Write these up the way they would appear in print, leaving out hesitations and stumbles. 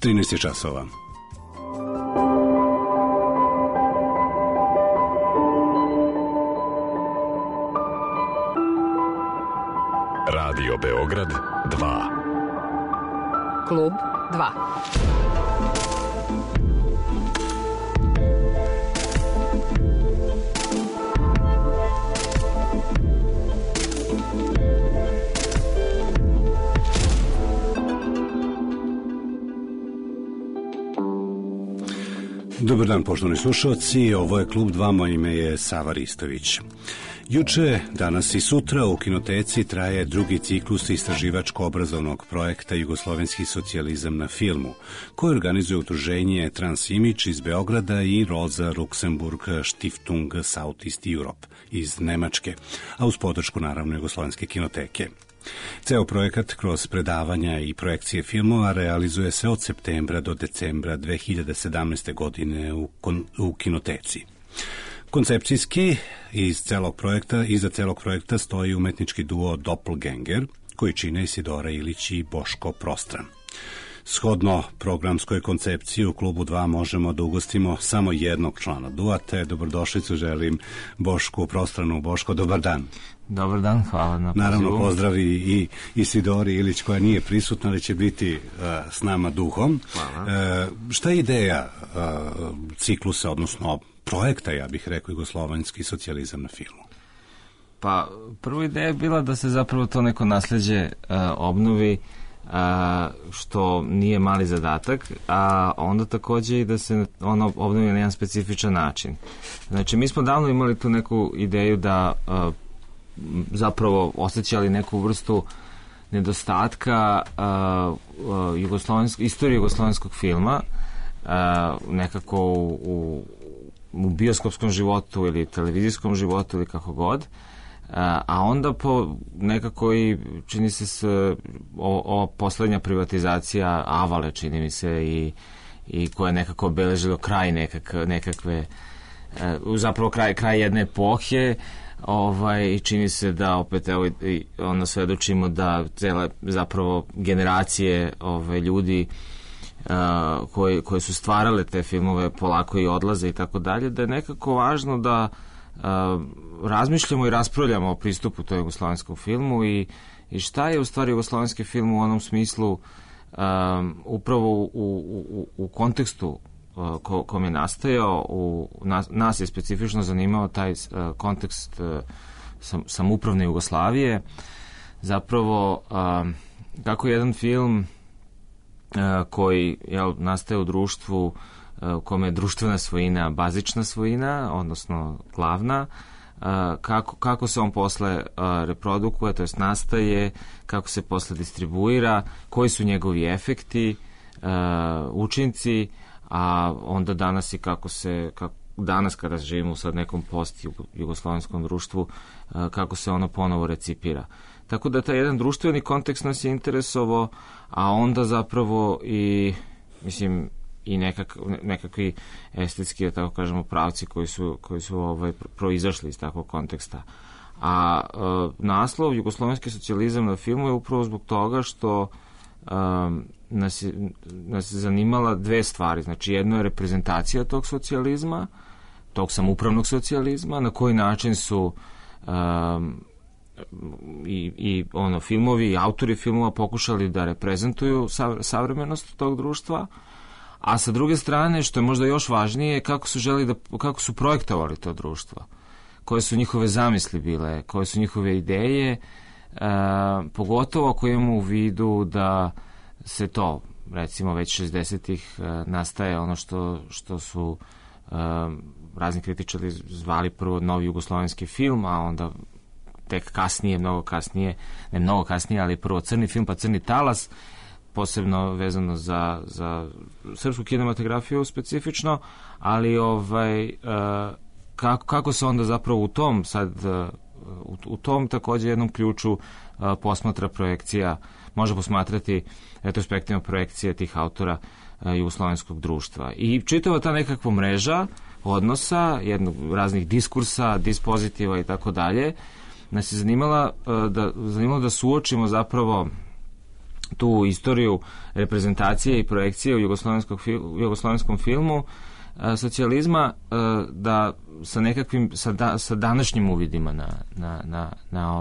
13 časova. Radio Beograd 2. Klub 2. Dobar dan, poštovani slušalci, ovo je Klub 2, moje ime je Sava Ristović. Juče, danas i sutra u Kinoteci traje drugi ciklus istraživačko-obrazovnog projekta Jugoslovenski socijalizam na filmu, koji organizuje udruženje Transimage iz Beograda i Rosa Luxemburg Stiftung Southeast Europe iz Nemačke, a uz podršku naravno Jugoslovenske kinoteke. Ceo projekat kroz predavanja i projekcije filmova realizuje se od septembra do decembra 2017. godine u Kinoteci. Koncepcijski iza celog projekta stoji umetnički duo Doppelganger, koji čine Isidora Ilić i Boško Prostran. Shodno programskoj koncepciji u Klubu 2 možemo da ugostimo samo jednog člana dua, te dobrodošlicu želim Bošku Prostranu. Boško, dobar dan. Dobar dan, hvala na pozivu. Naravno, pozdravi i Isidori Ilić koja nije prisutna, ali će biti s nama duhom. Hvala. Šta je ideja ciklusa, odnosno projekta, ja bih rekao, Jugoslovenski socijalizam na filmu? Pa, prva ideja je bila da se zapravo to neko nasleđe obnovi, što nije mali zadatak, a onda takođe i da se ono obnovi na jedan specifičan način. Znači, mi smo davno imali tu neku ideju da zapravo osjećali neku vrstu nedostatka istorije jugoslovenskog filma, nekako u bioskopskom životu ili televizijskom životu ili kako god, a onda nekako i čini se ova poslednja privatizacija Avale, čini mi se, i koja je nekako obeležilo kraj nekakve zapravo kraj jedne epohe, i čini se da opet onda svedočimo da cele zapravo generacije ljudi koje su stvarale te filmove polako i odlaze i tako dalje, da je nekako važno da razmišljamo i raspravljamo o pristupu toj jugoslovenskom filmu i šta je u stvari jugoslovenski film u onom smislu upravo u kontekstu kom je nastajao. Nas je specifično zanimao taj kontekst samoupravne Jugoslavije, zapravo kako jedan film koji nastaje u društvu kome je društvena svojina bazična svojina, odnosno glavna, kako se on posle reprodukuje, to jest nastaje, kako se posle distribuira, koji su njegovi efekti, učinci, a onda danas i danas kada živimo u sad nekom post-jugoslovenskom društvu, kako se ono ponovo recipira. Tako da taj jedan društveni kontekst nas je interesovao, a onda zapravo i, mislim, i nekakvi estetski, da tako kažemo, pravci koji su proizašli iz takvog konteksta. A naslov Jugoslovenski socijalizam na filmu je upravo zbog toga što nas je zanimala dve stvari. Znači, jedno je reprezentacija tog socijalizma, tog samoupravnog socijalizma, na koji način su filmovi i autori filmova pokušali da reprezentuju savremenost tog društva, a sa druge strane, što je možda još važnije, kako su projektovali to društvo, koje su njihove zamisli bile, koje su njihove ideje, pogotovo ako imamo u vidu da se to, recimo, već 60-ih nastaje ono što su razni kritičari zvali prvo novi jugoslovenski film, a onda tek kasnije, ne mnogo kasnije, ali prvo crni film, pa crni talas, posebno vezano za srpsku kinematografiju specifično, ali kako se onda zapravo u tom takođe jednom ključu posmatra projekcija, može posmatrati retrospektivna projekcija tih autora jugoslovenskog društva. I čitava ta nekakva mreža odnosa, raznih diskursa, dispozitiva i tako dalje, nas je zanimalo da suočimo zapravo tu istoriju reprezentacije i projekcije u jugoslovenskom filmu socijalizma, da sa nekakvim sa današnjim uvidima na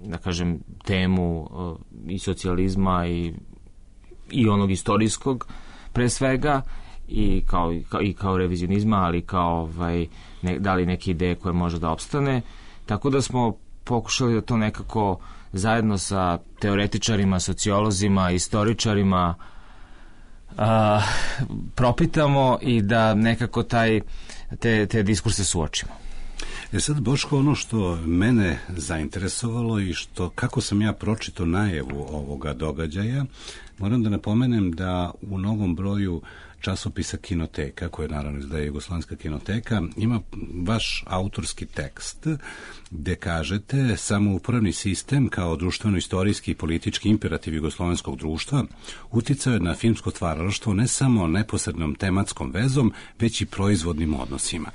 da kažem temu i socijalizma i onog istorijskog pre svega, i kao revizionizma, ali kao da li neke ideje koje može da opstane. Tako da smo pokušali da to nekako zajedno sa teoretičarima, sociolozima, istoričarima propitamo i da nekako te diskurse suočimo. Sad, Boško, ono što mene zainteresovalo i kako sam ja pročitao najavu ovoga događaja, moram da napomenem da u mnogom broju časopisa Kinoteka, koje naravno izdaje Jugoslovenska kinoteka, ima vaš autorski tekst gde kažete: samoupravni sistem kao društveno-istorijski i politički imperativ jugoslovenskog društva uticao je na filmsko stvaralaštvo ne samo neposrednom tematskom vezom, već i proizvodnim odnosima.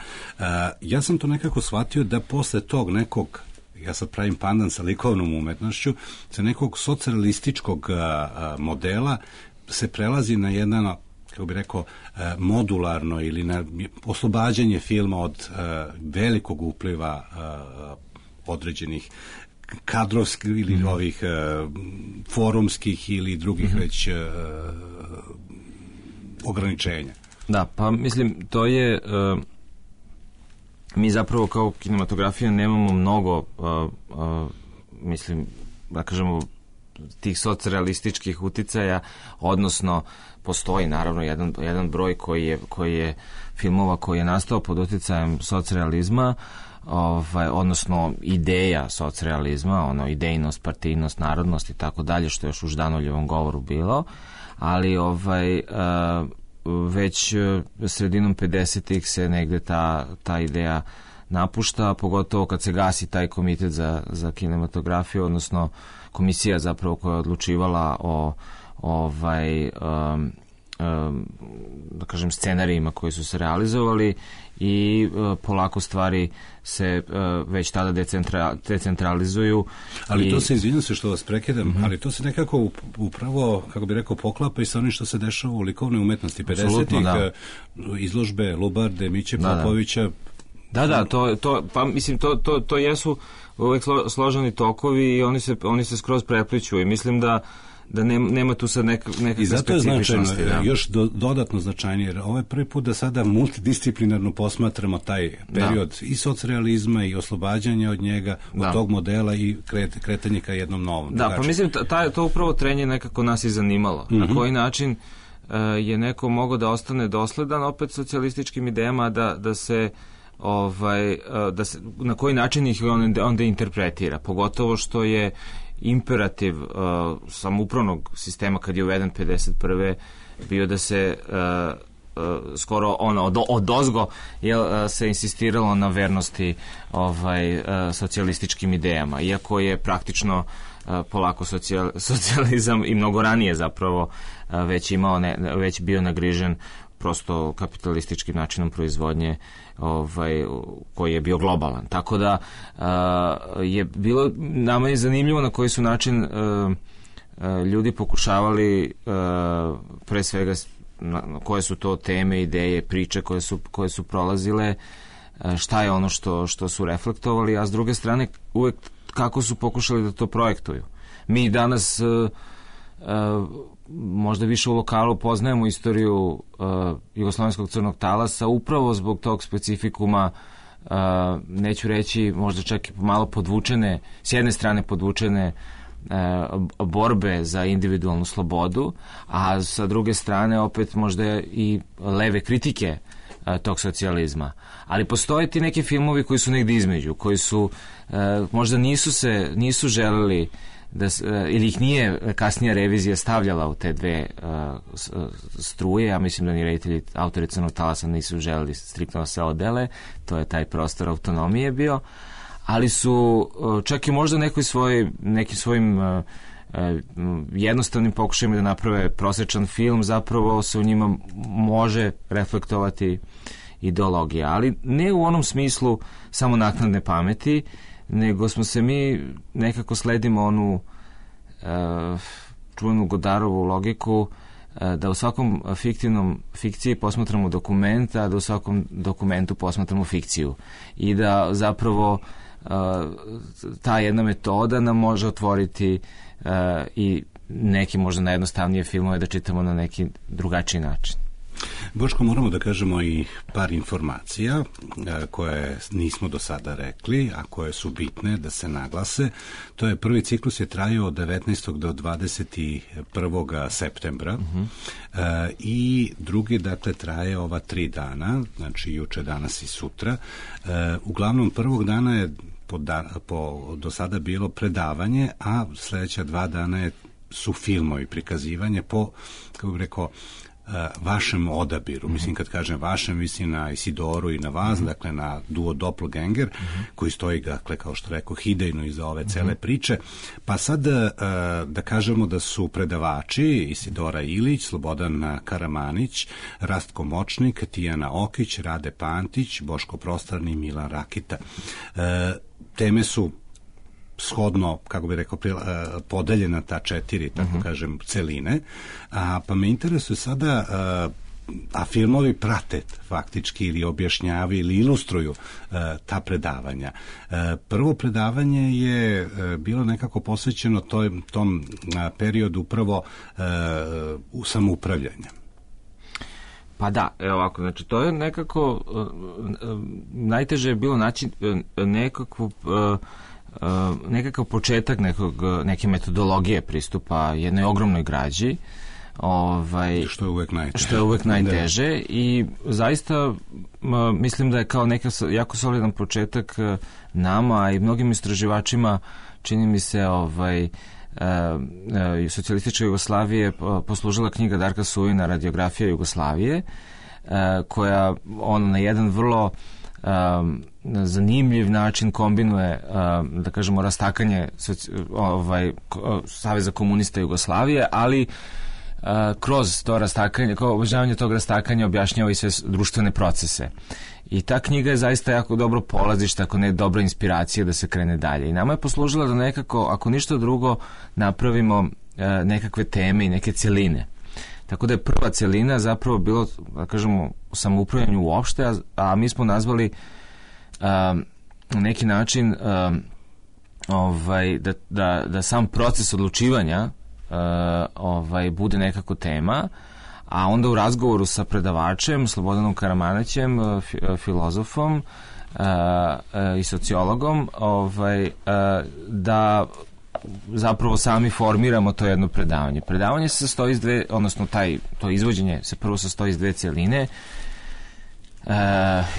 Ja sam to nekako shvatio da posle tog nekog, ja sad pravim pandan sa likovnom umetnošću, sa nekog socijalističkog modela se prelazi na jedan, kako bi rekao, modularno ili na oslobađanje filma od velikog upliva određenih kadrovskih ili ovih forumskih ili drugih već ograničenja. Da, pa mislim, to je mi zapravo kao kinematografija nemamo mnogo mislim, da kažemo, tih socrealističkih uticaja, odnosno postoji naravno jedan broj koji je filmova koji je nastao pod uticajem socrealizma, odnosno ideja socrealizma, idejnost, partijnost, narodnost i tako dalje, što je još u Ždanovljevom govoru bilo, ali već sredinom 50-ih se negde ta ideja napušta, pogotovo kad se gasi taj komitet za kinematografiju, odnosno komisija zapravo koja je odlučivala o da kažem scenarijima koji su se realizovali, i polako stvari se već tada decentralizuju. Ali to se, izvinjam se što vas prekidam, ali to se nekako upravo, kako bi rekao, poklapa i sa onim što se dešava u likovnoj umetnosti 50-ih, izložbe Lubarde, Miće Popovića. Da, pa mislim, to jesu uvek složeni tokovi i oni se skroz prepliću, i mislim da nema tu sad nekakve specifičnosti. I zato je značajno, još dodatno značajnije, jer ovo je prvi put da sada multidisciplinarno posmatramo taj period i socrealizma i oslobađanja od njega, od tog modela i kretanje ka jednom novom. Da, pa mislim, to upravo trenje nekako nas i zanimalo. Na koji način je neko mogao da ostane dosledan opet socijalističkim idejama, da se na koji način ih onda interpretira, pogotovo što je imperativ samoupravnog sistema kad je uveden 51. bio da se skoro odozgo se insistiralo na vernosti socijalističkim idejama, iako je praktično polako socijalizam i mnogo ranije zapravo već bio nagrižen prosto kapitalističkim načinom proizvodnje koji je bio globalan. Tako da je bilo, nama je zanimljivo na koji su način ljudi pokušavali pre svega koje su to teme, ideje, priče koje su prolazile, šta je ono što su reflektovali, a s druge strane uvek kako su pokušali da to projektuju. Mi danas možda više u lokalu poznajemo istoriju jugoslovenskog crnog talasa upravo zbog tog specifikuma, neću reći možda čak i malo podvučene, s jedne strane podvučene borbe za individualnu slobodu, a sa druge strane opet možda i leve kritike tog socijalizma. Ali postoje ti neki filmovi koji su negdje između, koji su možda nisu želeli ili ih nije kasnija revizija stavljala u te dve struje. Ja mislim da ni reditelji, autori Crnog talasa nisu želeli striktno da se odele, to je taj prostor autonomije bio, ali su čak i možda nekim svojim jednostavnim pokušajima da naprave prosječan film, zapravo se u njima može reflektovati ideologija, ali ne u onom smislu samo naknadne pameti, nego smo se mi nekako sledimo onu čuvenu Godarovu logiku da u svakom fikciji posmatramo dokument, a da u svakom dokumentu posmatramo fikciju. I da zapravo ta jedna metoda nam može otvoriti i neke možda najjednostavnije filmove da čitamo na neki drugačiji način. Boško, moramo da kažemo i par informacija koje nismo do sada rekli, a koje su bitne da se naglase. To je prvi ciklus je trajao od 19. do 21. septembra i drugi, dakle, traje ova 3 dana, znači juče, danas i sutra. Uglavnom, prvog dana je do sada bilo predavanje, a sledeća 2 dana su filmovi, prikazivanje po, kako bih rekao, vašem odabiru. Mislim, kad kažem vašem, mislim na Isidoru i na vas, dakle na duo Doppelganger, koji stoji, dakle, kao što rekao, idejno iza ove cele priče. Pa sad da kažemo da su predavači Isidora Ilić, Slobodan Karamanić, Rastko Močnik, Tijana Okić, Rade Pantić, Boško Prostarni i Milan Rakita. Teme su shodno, kako bih rekao, podeljena ta 4, tako kažem, celine. Pa me interesuje sada, a filmovi prate faktički ili objašnjavaju ili ilustruju ta predavanja. Prvo predavanje je bilo nekako posvećeno tom periodu upravo samoupravljanja. Pa da, evo ovako, znači to je nekako najteže je bilo naći nekakav početak neke metodologije pristupa jednoj ogromnoj građi, što je uvek najteže. I zaista mislim da je kao neka jako solidan početak nama i mnogim istraživačima, čini mi se, socijalističke Jugoslavije poslužila knjiga Darka Sujina Radiografija Jugoslavije, koja na jedan vrlo zanimljiv način kombinuje, da kažemo, rastakanje Saveza komunista Jugoslavije, ali kroz to rastakanje, kao obožavanje tog rastakanja, objašnjava i sve društvene procese. I ta knjiga je zaista jako dobro polazište, ako ne dobra inspiracija da se krene dalje. I nama je poslužila da nekako, ako ništa drugo, napravimo nekakve teme i neke celine. Tako da je prva celina zapravo bilo, da kažemo, u samoupravljanju uopšte, a mi smo nazvali na neki način da sam proces odlučivanja bude nekako tema, a onda u razgovoru sa predavačem Slobodanom Karamanićem, filozofom i sociologom, da zapravo sami formiramo to jedno predavanje. Predavanje se sastoji iz dve, odnosno to izvođenje se prvo sastoji iz 2 celine.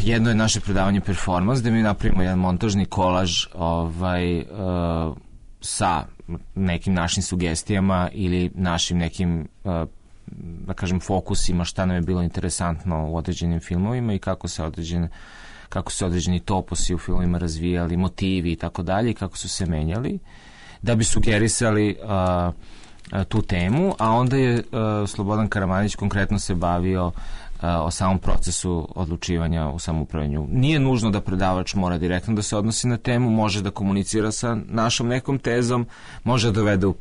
Jedno je naše predavanje performans, gde mi napravimo jedan montažni kolaž sa nekim našim sugestijama ili našim nekim, da kažem, fokusima, šta nam je bilo interesantno u određenim filmovima i kako se određeni toposi u filmovima razvijali, motivi i tako dalje, i kako su se menjali, da bi sugerisali tu temu, a onda je Slobodan Karamanić konkretno se bavio o samom procesu odlučivanja u samoupravljanju. Nije nužno da predavač mora direktno da se odnosi na temu, može da komunicira sa našom nekom tezom, može da dovede u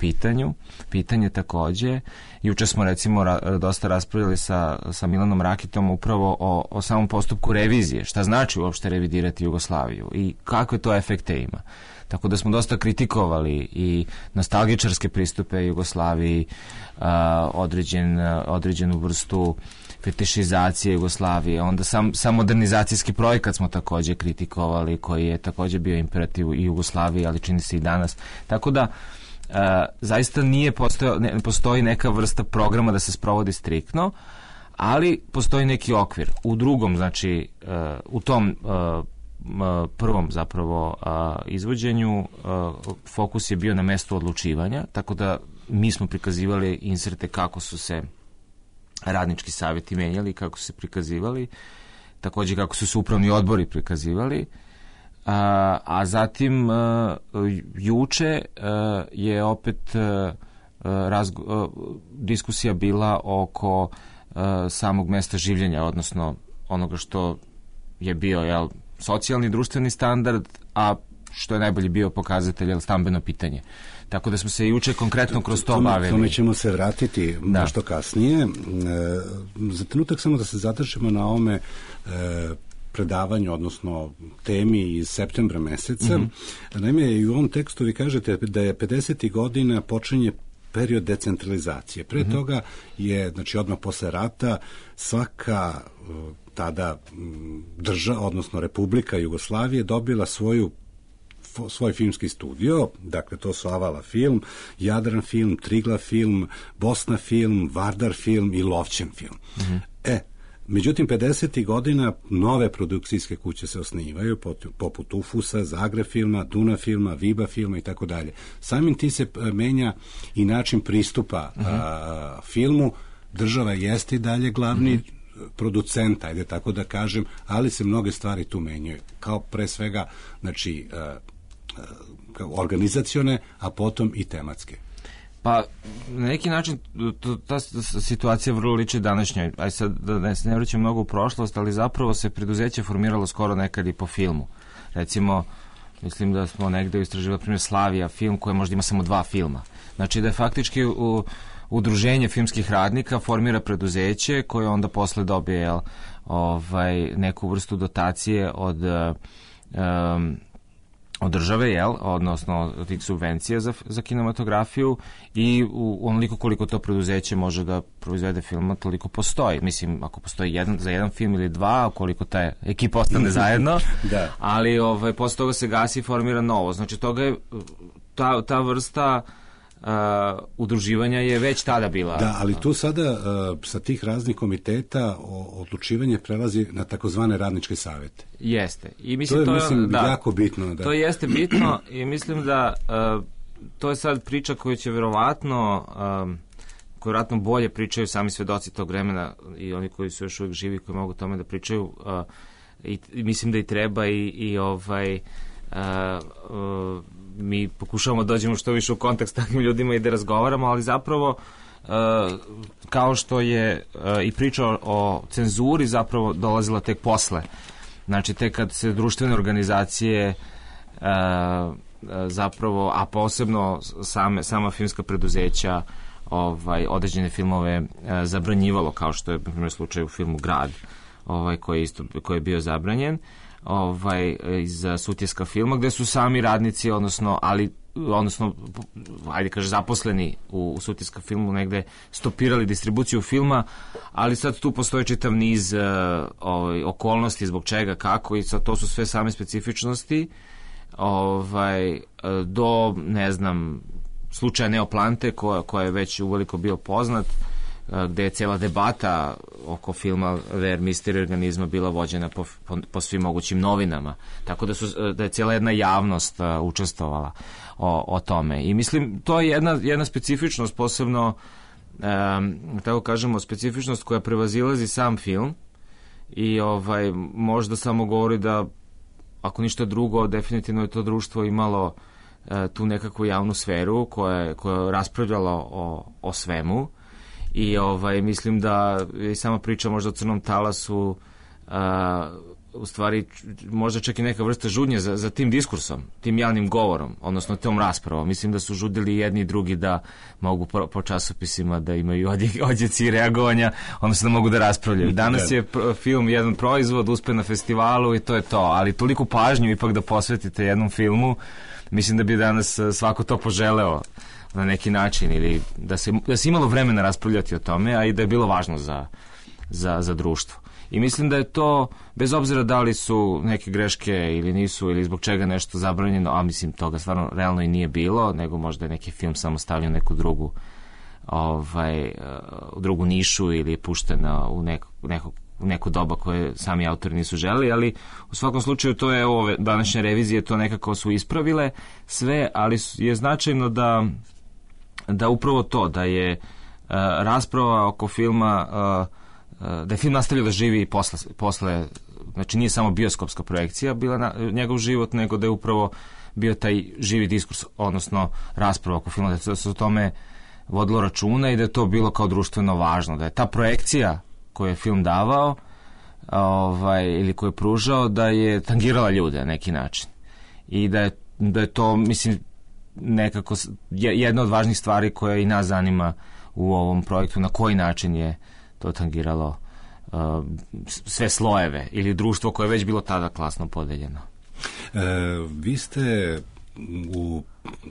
pitanje takođe. Juče smo recimo dosta raspravljali sa Milanom Rakitom upravo o samom postupku revizije, šta znači uopšte revidirati Jugoslaviju i kakve to efekte ima. Tako da smo dosta kritikovali i nostalgičarske pristupe Jugoslaviji, određenu vrstu fetišizacije Jugoslavije, onda sam modernizacijski projekat smo takođe kritikovali, koji je takođe bio imperativ i Jugoslaviji, ali čini se i danas. Tako da zaista ne postoji neka vrsta programa da se sprovodi striktno, ali postoji neki okvir. U drugom, znači u tom prvom zapravo izvođenju fokus je bio na mestu odlučivanja, tako da mi smo prikazivali inserte kako su se radnički savjeti menjali, kako su se prikazivali, takođe kako su se upravni odbori prikazivali, a zatim juče je opet diskusija bila oko samog mesta življenja, odnosno onoga što je bio socijalni društveni standard, a što je najbolji bio pokazatelj stambeno pitanje. Tako da smo se juče konkretno kroz to bavili. Tome ćemo se vratiti nešto kasnije. Za trenutak samo da se zadržimo na ovome predavanju, odnosno temi iz septembra meseca. Naime, i u ovom tekstu vi kažete da je 50. godina počinje period decentralizacije. Pre toga je, znači odmah posle rata, svaka tada država, odnosno Republika Jugoslavije dobila svoj filmski studio, dakle to su Avala film, Jadran film, Triglav film, Bosna film, Vardar film i Lovćen film. Međutim, 50. godina nove produkcijske kuće se osnivaju, poput Ufusa, Zagreb filma, Duna filma, Viba filma i tako dalje. Samim tim se menja i način pristupa filmu. Država jeste i dalje glavni producent, ajde tako da kažem, ali se mnoge stvari tu menjaju. Kao pre svega, znači, organizacione, a potom i tematske. Pa, na neki način, ta situacija vrlo liči današnjoj. Aj sad, da ne vraćam mnogo u prošlost, ali zapravo se preduzeće formiralo skoro nekad i po filmu. Recimo, mislim da smo negde istraživali, primjer, Slavija film, koja možda ima samo 2 filma. Znači da je faktički udruženje filmskih radnika formira preduzeće koje onda posle dobije neku vrstu dotacije od države, odnosno od tih subvencija za kinematografiju i onoliko koliko to preduzeće može da proizvede filma, toliko postoji. Mislim, ako postoji za jedan film ili 2, koliko ta ekipa ostane zajedno, ali posle toga se gasi i formira novo. Znači, toga je ta vrsta udruživanja je već tada bila. Da, ali tu sada sa tih raznih komiteta odlučivanje prelazi na takozvane radničke savete. Jeste. I mislim, to je jako bitno. Da. To jeste bitno i mislim da to je sad priča koju će verovatno bolje pričaju sami svedoci tog vremena i oni koji su još uvijek živi, koji mogu tome da pričaju, i mislim da i treba mi pokušavamo da dođemo što više u kontakt s takvim ljudima i da razgovaramo, ali zapravo kao što je i priča o cenzuri zapravo dolazila tek posle. Znači, tek kad se društvene organizacije zapravo, a posebno sama filmska preduzeća određene filmove zabranjivalo, kao što je, na primjer, slučaj u filmu Grad, koji je bio zabranjen, iz Sutjeska filma, gde su sami radnici, odnosno ajde kaže zaposleni u Sutjeska filmu negde stopirali distribuciju filma, ali sad tu postoji čitav niz okolnosti zbog čega, kako, i sad to su sve same specifičnosti do, ne znam, slučaja Neoplante koja je već uveliko bio poznat, gde je cijela debata oko filma Ver Misteri organizma bila vođena po svim mogućim novinama. Tako da je cijela jedna javnost učestvovala o tome. I mislim, to je jedna specifičnost, posebno, tako kažemo, specifičnost koja prevazilazi sam film i možda samo govori da, ako ništa drugo, definitivno je to društvo imalo tu nekakvu javnu sferu koja je raspravljala o svemu. I mislim da je sama priča možda o Crnom talasu u stvari možda čak i neka vrsta žudnje za tim diskursom, tim javnim govorom, odnosno tom raspravom. Mislim da su žudili jedni i drugi da mogu po časopisima da imaju odjeci i reagovanja, odnosno da mogu da raspravljaju. Danas je film jedan proizvod, uspe na festivalu i to je to, ali toliko pažnju ipak da posvetite jednom filmu, mislim da bi danas svako to poželeo na neki način, ili da se imalo vremena raspravljati o tome, a i da je bilo važno za društvo. I mislim da je to, bez obzira da li su neke greške ili nisu, ili zbog čega nešto zabranjeno, a mislim toga stvarno realno i nije bilo, nego možda je neki film samo stavljen neku drugu nišu ili je puštena u neku doba koje sami autori nisu želi, ali u svakom slučaju to je ove današnje revizije, to nekako su ispravile sve, ali je značajno da upravo to, da je rasprava oko filma, da je film nastavio da živi i posle, znači nije samo bioskopska projekcija bila njegov život, nego da je upravo bio taj živi diskurs, odnosno rasprava oko filma, da se o tome vodilo računa i da je to bilo kao društveno važno, da je ta projekcija koju je film davao ili koju je pružao, da je tangirala ljude na neki način i da je to, mislim, nekako jedna od važnih stvari koja i nas zanima u ovom projektu, na koji način je to tangiralo sve slojeve ili društvo koje je već bilo tada klasno podeljeno. Vi ste u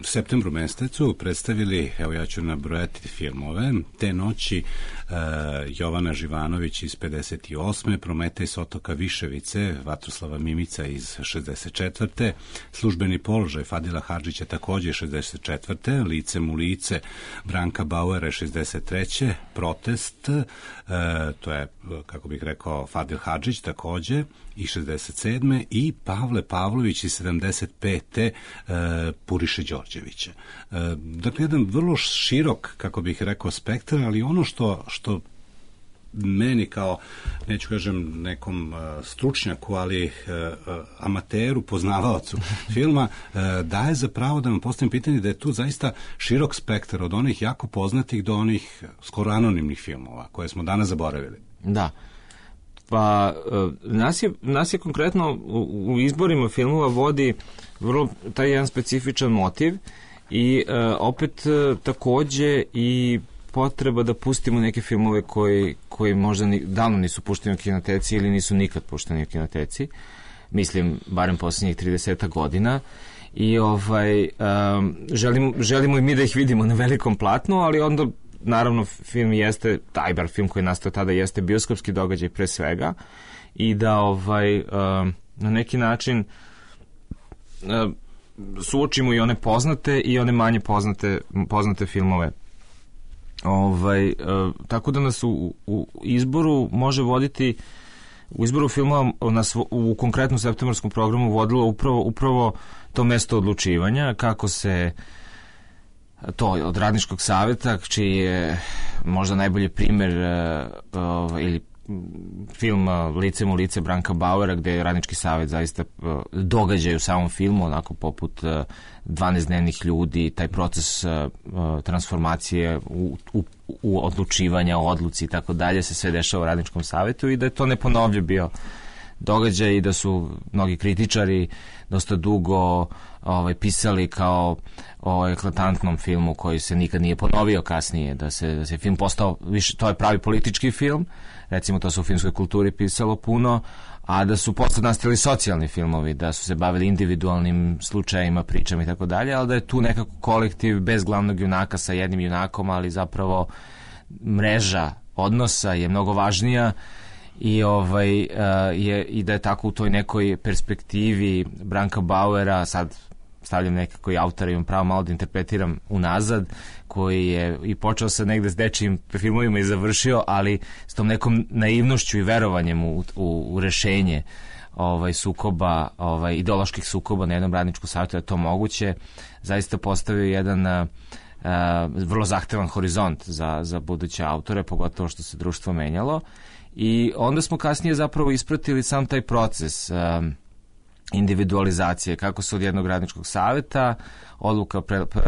septembru mesecu predstavili, evo ja ću nabrojati filmove, Te noći Jovana Živanović iz 58. Prometej s otoka Viševice Vatroslava Mimica iz 64. Službeni položaj Fadila Hadžića takođe 64. Licem u lice Branka Bauera 63. Protest, to je, kako bih rekao, Fadil Hadžić takođe i 67. i Pavle Pavlović iz 75. Puriše Đorđevića. Dakle, jedan vrlo širok, kako bih rekao, spektar, ali ono što meni kao, neću kažem nekom stručnjaku, ali amateru, poznavaocu filma, daje za pravo da vam postavim pitanje da je tu zaista širok spektar od onih jako poznatih do onih skoro anonimnih filmova koje smo danas zaboravili. Da. Pa nas je konkretno u izborima filmova vodi vrlo taj jedan specifičan motiv i opet takođe i potreba da pustimo neke filmove koji možda davno nisu pušteni u kinoteci ili nisu nikad pušteni u kinoteci. Mislim, barem posljednjih 30 godina. I želimo i mi da ih vidimo na velikom platnu, ali onda naravno film jeste, taj bar film koji je nastao tada jeste bioskopski događaj pre svega i da na neki način suočimo i one poznate i one manje poznate filmove. Tako da nas u izboru može voditi, u izboru filmova nas u konkretnom septembarskom programu vodilo upravo to mesto odlučivanja, kako se to od Radničkog saveta, čiji je možda najbolji primer ili film Licem u lice Branka Bauera, gde je Radnički savet zaista događaj u samom filmu, onako poput 12 dnevnih ljudi, taj proces transformacije u odlučivanja, o odluci i tako dalje se sve dešava u Radničkom savetu i da je to neponovljiv bio događaj i da su mnogi kritičari dosta dugo pisali kao o eklatantnom filmu koji se nikad nije ponovio kasnije, da se film postao više, to je pravi politički film, recimo to se u filmskoj kulturi pisalo puno, a da su posle nastali socijalni filmovi, da su se bavili individualnim slučajima, pričama i tako dalje, ali da je tu nekako kolektiv bez glavnog junaka sa jednim junakom, ali zapravo mreža odnosa je mnogo važnija i i da je tako u toj nekoj perspektivi Branka Bauera, sad stavljam nekako i autora, imam pravo malo da interpretiram unazad, koji je i počeo sa negde s dečijim filmovima i završio, ali s tom nekom naivnošću i verovanjem u rešenje sukoba, ideoloških sukoba na jednom Radničkom savetu, da je to moguće, zaista postavio jedan vrlo zahtevan horizont za buduće autore, pogotovo što se društvo menjalo. I onda smo kasnije zapravo ispratili sam taj proces individualizacije, kako se od jednog Radničkog saveta odluka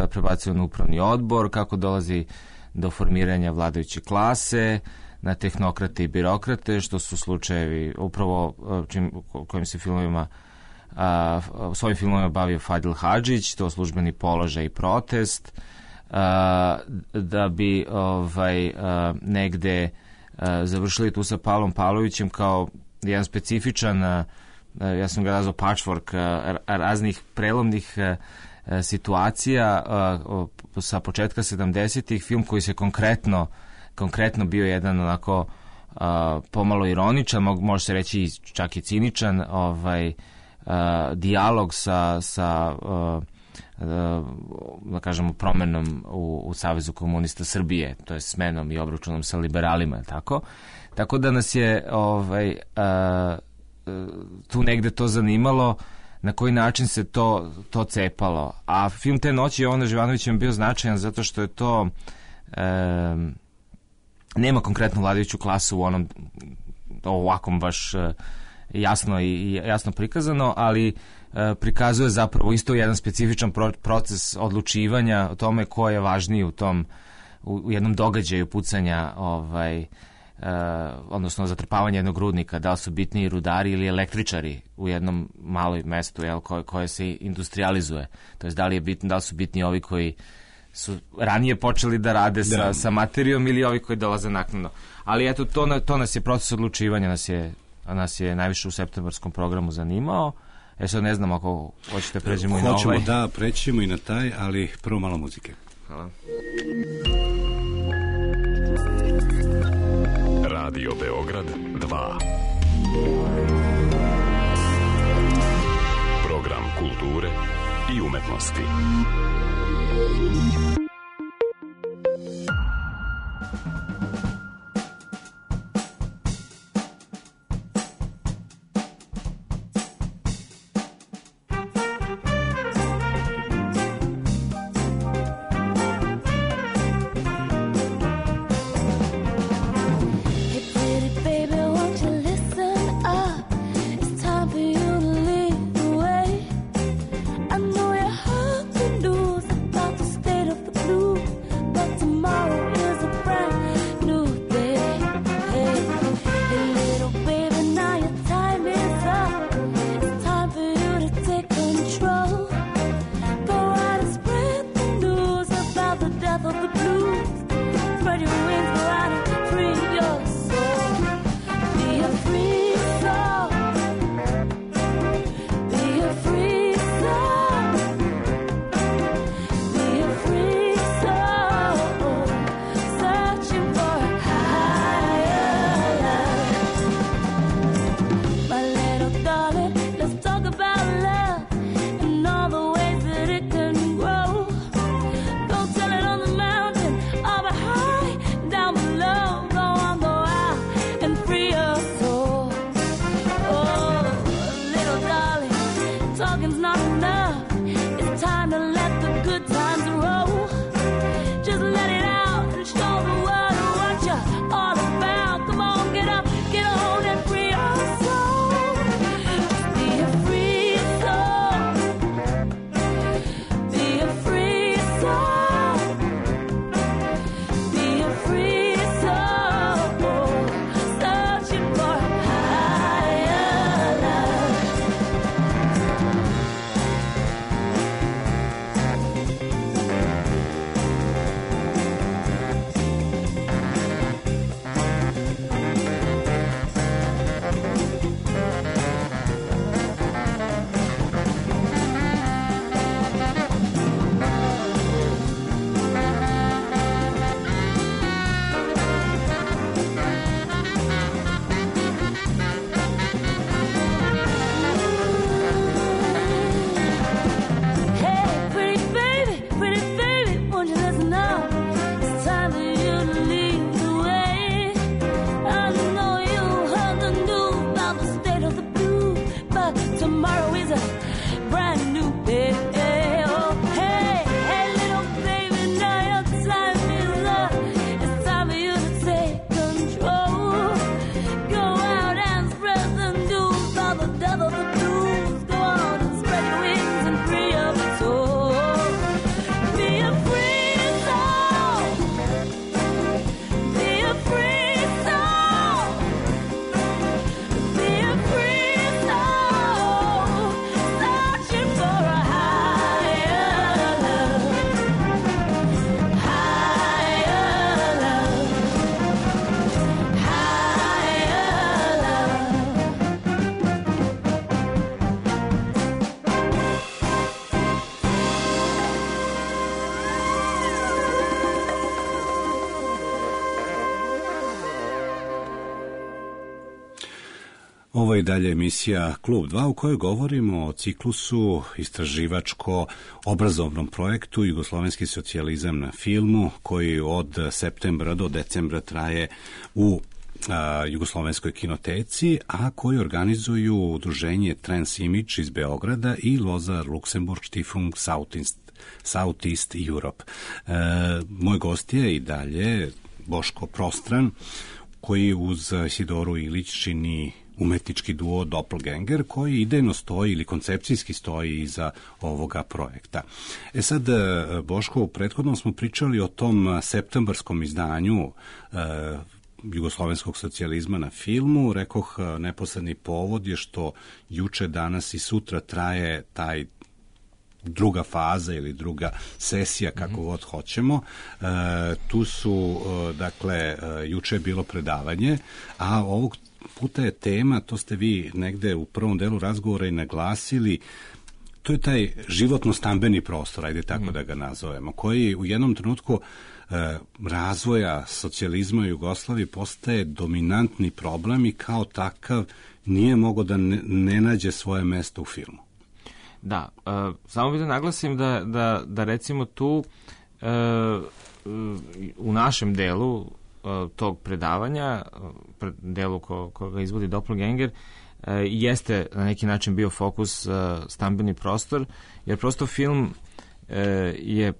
prebacuje na upravni odbor, kako dolazi do formiranja vladajuće klase, na tehnokrate i birokrate, što su slučajevi upravo kojim se svojim filmovima bavio Fadil Hadžić, to Službeni položaj i Protest, da bi negde završili tu sa Pavlom Pavlovićem kao jedan specifičan, ja sam ga nazvao patchwork raznih prelomnih situacija sa početka 70-ih, film koji se konkretno bio jedan onako pomalo ironičan, može se reći čak i ciničan, dijalog sa da kažemo promenom u Savezu komunista Srbije, to je smenom i obračunom sa liberalima, tako da nas je tu negde to zanimalo na koji način se to cepalo. A film Te noći Jovana Živanovića je bio značajan zato što je to nema konkretnu vladajuću klasu u onom ovakvom baš jasno prikazano, ali prikazuje zapravo isto jedan specifičan proces odlučivanja o tome ko je važniji u jednom događaju pucanja odnosno zatrpavanje jednog rudnika, da li su bitniji rudari ili električari u jednom maloj mestu koje se industrializuje. To je da li su bitni ovi koji su ranije počeli da rade sa materijom ili ovi koji dolaze naknadno. Ali eto, to nas je proces odlučivanja, nas je najviše u septembarskom programu zanimao. Sad ne znam ako hoćete pređemo i na ovaj. Hoćemo da prećemo i na taj, ali prvo malo muzike. Hvala. Radio Beograd 2. Program kulture i umetnosti. Ovo je dalje emisija Klub 2 u kojoj govorimo o ciklusu istraživačko-obrazovnom projektu Jugoslovenski socijalizam na filmu koji od septembra do decembra traje u Jugoslovenskoj kinoteci, a koji organizuju udruženje Transimage iz Beograda i Loza Luxemburg Stiftung Southeast Europe. Moj gost je i dalje Boško Prostran, koji uz Isidoru Ilić čini umetnički duo Doppelganger, koji idejno stoji ili koncepcijski stoji iza ovoga projekta. Sad, Boško, u prethodnom smo pričali o tom septembarskom izdanju jugoslovenskog socijalizma na filmu. Rekoh, neposredni povod je što juče, danas i sutra traje taj druga faza ili druga sesija, kako god hoćemo. Tu su, dakle, juče je bilo predavanje, a ovog puta je tema, to ste vi negde u prvom delu razgovora i naglasili, to je taj životno-stambeni prostor, ajde tako da ga nazovemo, koji u jednom trenutku razvoja socijalizma u Jugoslaviji postaje dominantni problem i kao takav nije mogao da ne nađe svoje mesto u filmu. Da, samo bih da naglasim da recimo tu u našem delu tog predavanja, delu koga izvodi Doppelganger, jeste na neki način bio fokus stambeni prostor, jer prosto film je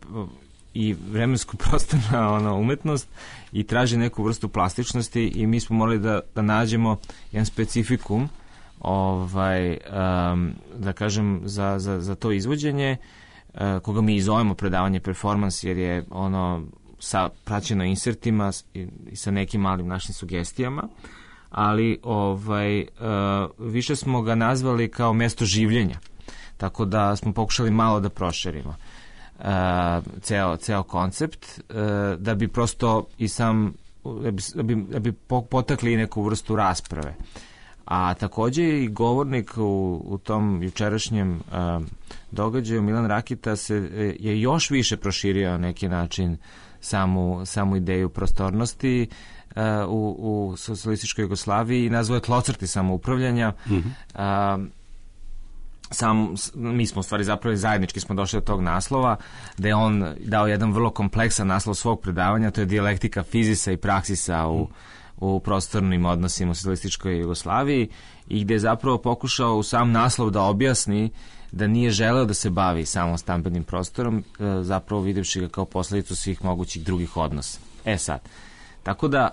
i vremensko-prostorna umetnost i traži neku vrstu plastičnosti i mi smo morali da nađemo jedan specifikum da kažem za to izvođenje, koga mi zovemo predavanje performans, jer je ono praćeno insertima i sa nekim malim našim sugestijama, ali više smo ga nazvali kao mesto življenja, tako da smo pokušali malo da proširimo ceo koncept, da bi prosto i sam da bi potakli neku vrstu rasprave. A takođe i govornik u tom jučerašnjem događaju, Milan Rakita, je još više proširio na neki način samu ideju prostornosti u socijalističkoj Jugoslaviji i nazvao je tlocrti samoupravljanja. Mi smo u stvari zapravo zajednički smo došli do tog naslova, da je on dao jedan vrlo kompleksan naslov svog predavanja, to je dijalektika fizisa i praksisa u prostornim odnosima u socijalističkoj Jugoslaviji, i gde je zapravo pokušao u sam naslov da objasni da nije želeo da se bavi samo stambenim prostorom, zapravo videvši ga kao posledicu svih mogućih drugih odnosa. Sad, tako da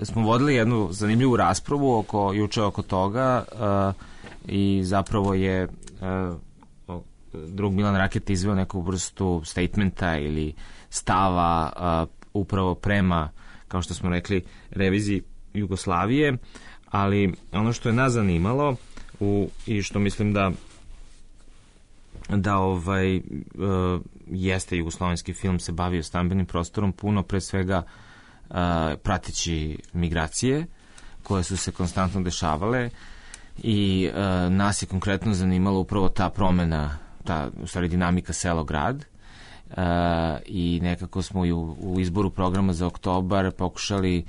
smo vodili jednu zanimljivu raspravu juče oko toga, i zapravo je drug Milan Raketa izveo neku vrstu statementa ili stava upravo prema, kao što smo rekli, reviziji Jugoslavije, ali ono što je nas zanimalo i što mislim da jeste jugoslovenski film se bavio stambenim prostorom puno, pre svega prateći migracije koje su se konstantno dešavale, i nas je konkretno zanimalo upravo ta promena, u stvari dinamika selo-grad, i nekako smo i u izboru programa za oktobar pokušali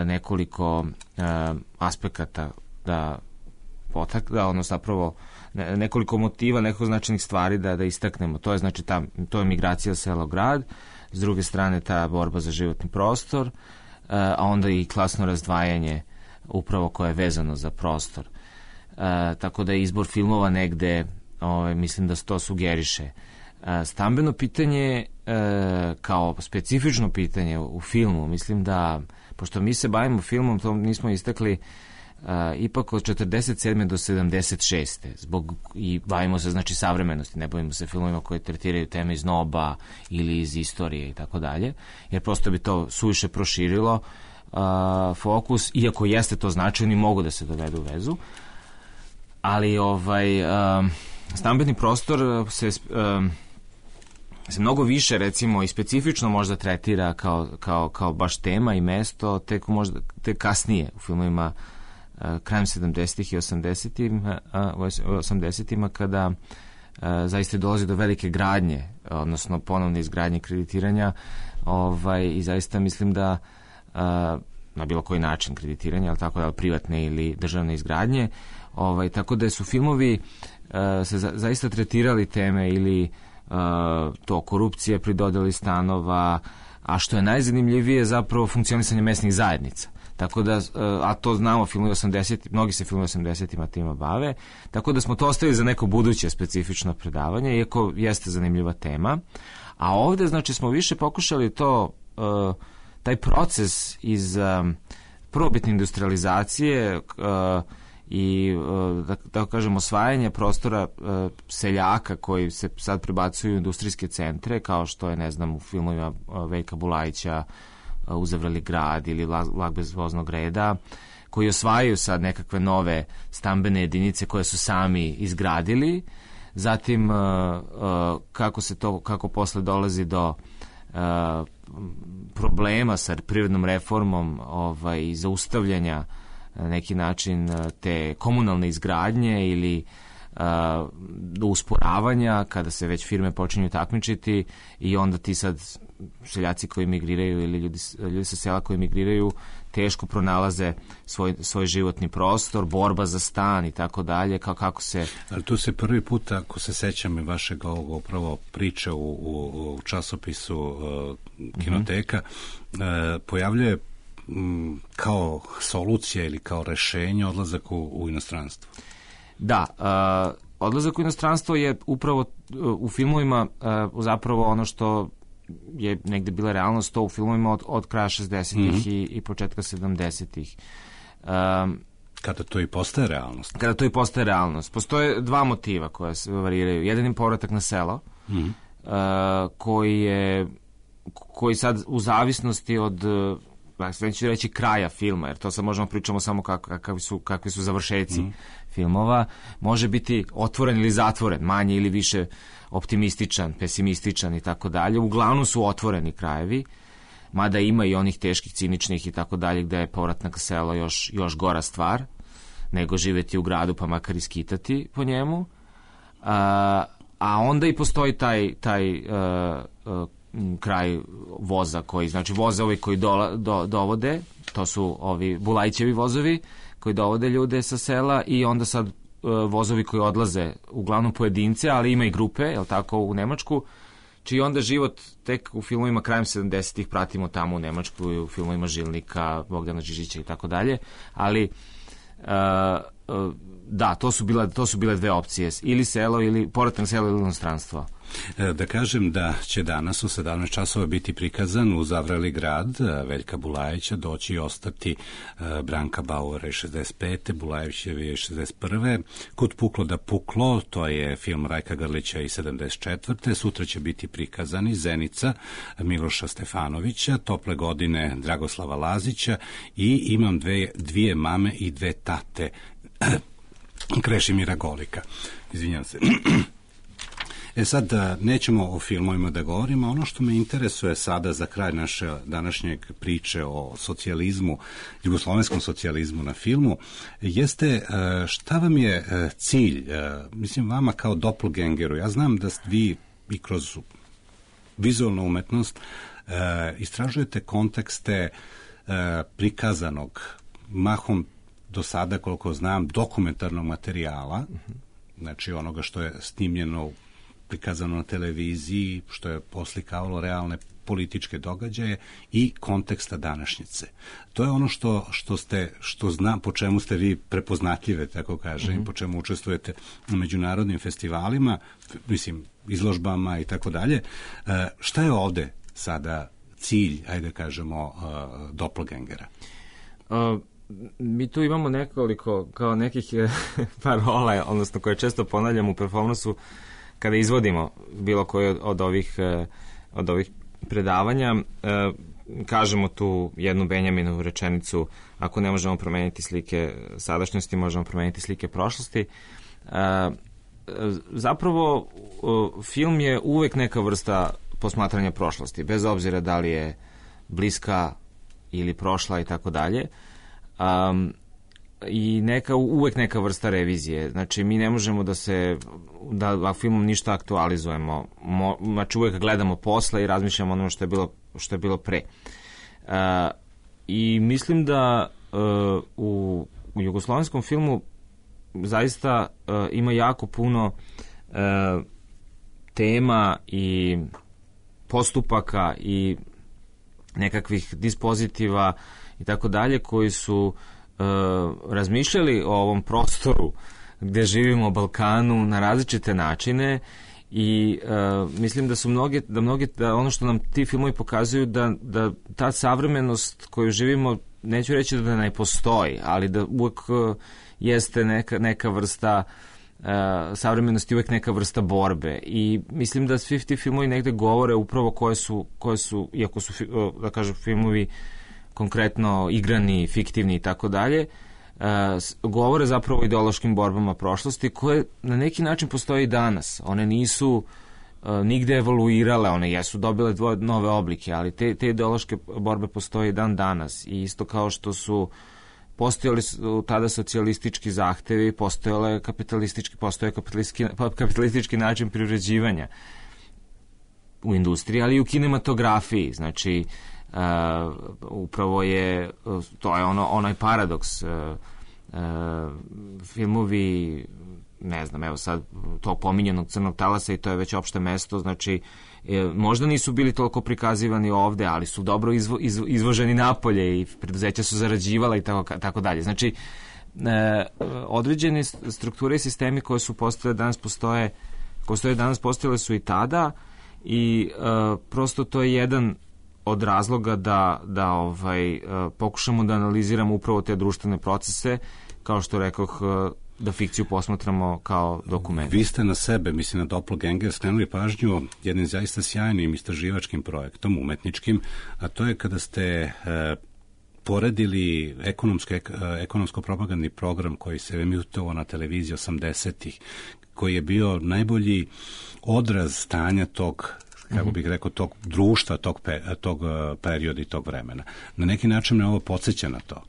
nekoliko aspekata da zapravo nekoliko motiva, nekoliko značajnih stvari da istaknemo. To je znači to je migracija selo-grad, s druge strane ta borba za životni prostor, a onda i klasno razdvajanje upravo koje je vezano za prostor. Tako da je izbor filmova negde, mislim da se to sugeriše. Stambeno pitanje kao specifično pitanje u filmu, mislim da, pošto mi se bavimo filmom, to nismo istakli, ipak od 47. do 76. I bavimo se znači savremenosti, ne bavimo se filmovima koji tretiraju teme iz NOB-a ili iz istorije i tako dalje, jer prosto bi to suviše proširilo fokus, iako jeste to značajno i mogu da se dovedu u vezu, ali stambeni prostor se mnogo više, recimo, i specifično možda tretira kao baš tema i mesto tek kasnije u filmovima krajem 70-ih i 80-ima, kada zaista dolazi do velike gradnje, odnosno ponovne izgradnje kreditiranja, i zaista mislim da na bilo koji način kreditiranja, ali tako da privatne ili državne izgradnje, tako da su filmovi se zaista tretirali teme ili to korupcije pri dodeli stanova, a što je najzanimljivije zapravo funkcionisanje mesnih zajednica. Tako da, a to znamo, filmovi 80, mnogi se filmovi 80-ima tima bave, tako da smo to ostavili za neko buduće specifično predavanje, iako jeste zanimljiva tema. A ovde, znači, smo više pokušali taj proces iz prvobitne industrializacije i, da kažem, osvajanje prostora seljaka koji se sad prebacuju u industrijske centre, kao što je, ne znam, u filmovima Veljka Bulajića Uzavreli grad ili Vlak bez voznog reda, koji osvajaju sad nekakve nove stambene jedinice koje su sami izgradili. Zatim kako posle dolazi do problema sa privrednom reformom i zaustavljanja na neki način te komunalne izgradnje ili do usporavanja kada se već firme počinju takmičiti i onda ti sad seljaci koji migriraju ili ljudi sa sela koji migriraju teško pronalaze svoj životni prostor, borba za stan i tako dalje, kako se... Ali tu se prvi put, ako se sećam i vašeg ovog upravo priče u časopisu Kinoteka, pojavljuje kao solucija ili kao rešenje odlazak u inostranstvo. Da, odlazak u inostranstvo je upravo u filmovima zapravo ono što je negde bila realnost, to u filmovima od kraja 60-ih i početka 70-ih. Kada to i postaje realnost? Kada to i postaje realnost. Postoje dva motiva koja se variraju. Jedan je povratak na selo, koji sad u zavisnosti od neću reći kraja filma, jer to sad možemo pričamo samo kakvi su završeci filmova, može biti otvoren ili zatvoren, manje ili više optimističan, pesimističan i tako dalje. Uglavnom su otvoreni krajevi, mada ima i onih teških, ciničnih i tako dalje, gde je povratak na selo još gora stvar, nego živeti u gradu pa makar iskitati po njemu. A onda i postoji taj kraj voza znači vozovi koji dovode, to su ovi Bulajićevi vozovi koji dovode ljude sa sela i onda sad vozovi koji odlaze uglavnom pojedince, ali ima i grupe, jel tako, u Nemačku, čiji onda život tek u filmovima krajem 70-ih pratimo tamo u Nemačku i u filmovima Žilnika, Bogdana Žižića i tako dalje, ali da, to su bile dve opcije, ili selo, ili povratak na selo ili inostranstvo. Da kažem da će danas u 17 časova biti prikazan Uzavreli grad Veljka Bulajića, doći i ostati Branka Bauera 65. Bulajićevi 61. Kud puklo da puklo, to je film Rajka Grlića i 74. Sutra će biti prikazani Zenica Miloša Stefanovića, Tople godine Dragoslava Lazića i Imam dvije mame i dve tate Krešimira Golika. Izvinjam se. Sad, nećemo o filmovima da govorimo. Ono što me interesuje sada za kraj naše današnjeg priče o socijalizmu, jugoslovenskom socijalizmu na filmu, jeste šta vam je cilj, mislim vama kao doppelgangeru. Ja znam da vi i kroz vizualnu umetnost istražujete kontekste prikazanog, mahom do sada, koliko znam, dokumentarnog materijala, znači onoga što je snimljeno, prikazano na televiziji, što je poslikavalo realne političke događaje i konteksta današnjice. To je ono što znam, po čemu ste vi prepoznatljive, tako kažem, po čemu učestvujete u međunarodnim festivalima, mislim, izložbama i tako dalje. Šta je ovde sada cilj, ajde kažemo, doppelgangera? Mi tu imamo nekoliko, kao nekih parola, odnosno koje često ponavljam u performansu kada izvodimo bilo koje od ovih predavanja. Kažemo tu jednu Benjaminovu rečenicu: ako ne možemo promeniti slike sadašnjosti, možemo promeniti slike prošlosti. Zapravo film je uvek neka vrsta posmatranja prošlosti, bez obzira da li je bliska ili prošla i tako dalje. I uvek neka vrsta revizije. Znači, mi ne možemo da filmom ništa aktualizujemo. Znači, uvek gledamo posle i razmišljamo ono što je bilo pre. I mislim da u jugoslovenskom filmu zaista ima jako puno tema i postupaka i nekakvih dispozitiva i tako dalje, koji su razmišljali o ovom prostoru gde živimo, Balkanu, na različite načine i mislim da su da ono što nam ti filmovi pokazuju, da ta savremenost koju živimo, neću reći da ne postoji, ali da uvek jeste neka vrsta savremenost je uvek neka vrsta borbe i mislim da svi ti filmovi negde govore upravo koje su iako su, da kažem, filmovi konkretno igrani, fiktivni i tako dalje, govore zapravo o ideološkim borbama prošlosti koje na neki način postoje i danas. One nisu nigde evoluirale, one jesu dobile nove oblike, ali te ideološke borbe postoje i dan danas i isto kao što su postojali tada socijalistički zahtevi, postoje kapitalistički način privređivanja u industriji, ali i u kinematografiji. Znači, upravo je, to je onaj paradoks. Filmovi, ne znam, evo sad tog pominjenog Crnog talasa i to je već opšte mesto, znači možda nisu bili toliko prikazivani ovde, ali su dobro izvoženi napolje i preduzeća su zarađivala i tako dalje. Znači, određene strukture i sistemi koje su postojale danas postojale su i tada i prosto to je jedan od razloga da pokušamo da analiziramo upravo te društvene procese, kao što rekoh, da fikciju posmatramo kao dokument. Vi ste na sebe, mislim na Doppelganger, skrenuli pažnju jednim zaista sjajnim istraživačkim projektom, umetničkim, a to je kada ste poredili ekonomsko-propagandni program koji se emitovao na televiziji 80-ih, koji je bio najbolji odraz stanja tog, kako bih rekao, tog društva, tog perioda i tog vremena. Na neki način me ovo podsjeća na to.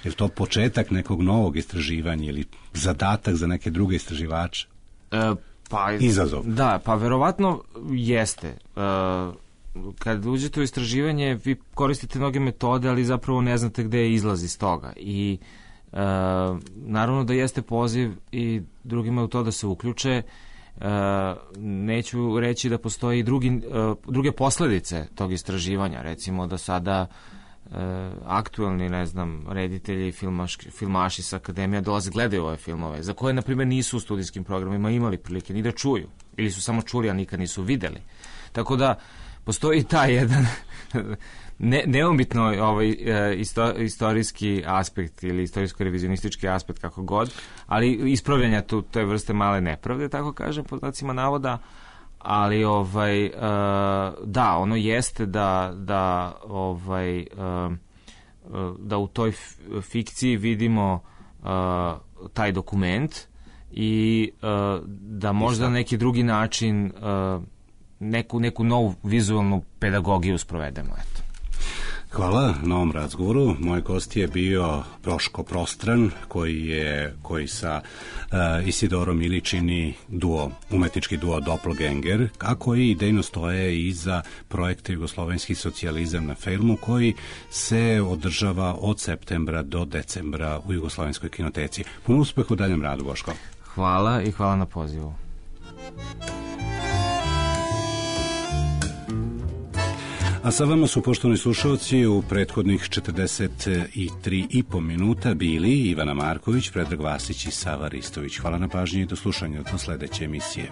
Je to početak nekog novog istraživanja ili zadatak za neke druge istraživače? Izazov. Da, pa verovatno jeste. Kad uđete u istraživanje, vi koristite mnoge metode, ali zapravo ne znate gde je izlaz iz toga. I naravno da jeste poziv i drugima u to da se uključe. Neću reći da postoji i druge posledice tog istraživanja. Recimo da sada aktuelni, ne znam, reditelji, filmaši sa akademija dolaze, gledaju ove filmove, za koje, na primjer, nisu u studijskim programima imali prilike ni da čuju, ili su samo čuli, a nikad nisu videli. Tako da, postoji taj jedan neumitno istorijski aspekt ili istorijsko-revizionistički aspekt, kako god, ali ispravljanja te vrste male nepravde, tako kažem, pod znacima navoda, ali da, ono jeste da u toj fikciji vidimo taj dokument i da možda na neki drugi način neku novu vizualnu pedagogiju sprovedemo, eto. Hvala na ovom razgovoru. Moj gost je bio Proško Prostran, koji sa Isidorom Ilić čini umetnički duo Doppelganger, a koji idejno stoje iza projekta Jugoslovenski socijalizam na filmu, koji se održava od septembra do decembra u Jugoslovenskoj kinoteci. Puno uspeha u daljem radu, Boško. Hvala i hvala na pozivu. A sa vama su, poštovani slušalci, u prethodnih 43,5 minuta bili Ivana Marković, Predrag Vasić i Sava Ristović. Hvala na pažnji i do slušanja do sledeće emisije.